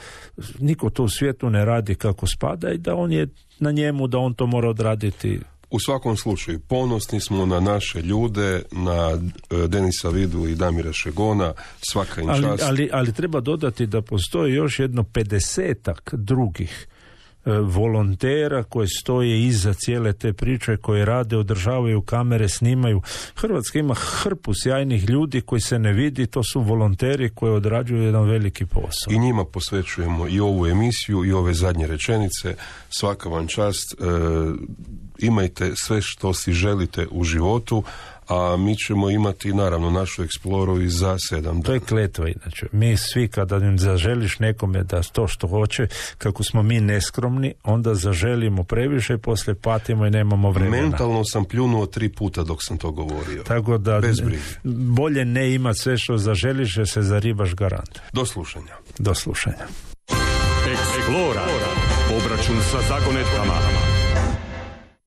niko to u svijetu ne radi kako spada i da on je na njemu, da on to mora odraditi. U svakom slučaju, ponosni smo na naše ljude, na Denisa Vidu i Damira Šegona, svaka im čast. Ali treba dodati da postoji još jedno 50-ak drugih volontera koji stoje iza cijele te priče, koji rade, održavaju kamere, snimaju. Hrvatska ima hrpu sjajnih ljudi koji se ne vidi, to su volonteri koji odrađuju jedan veliki posao. I njima posvećujemo i ovu emisiju i ove zadnje rečenice. Svaka vam čast, imajte sve što si želite u životu, a mi ćemo imati naravno našu eksploru i za 7 dana. To je kletva inače. Mi svi kada im zaželiš nekome da to što hoće, kako smo mi neskromni, onda zaželimo previše, poslije patimo i nemamo vremena. Mentalno sam pljunuo 3 puta dok sam to govorio. Tako da bez brige. Bolje ne imati sve što zaželiš, jer se zaribaš garant. Do slušanja. Do slušanja. Explora. Obračun sa zagonetkama.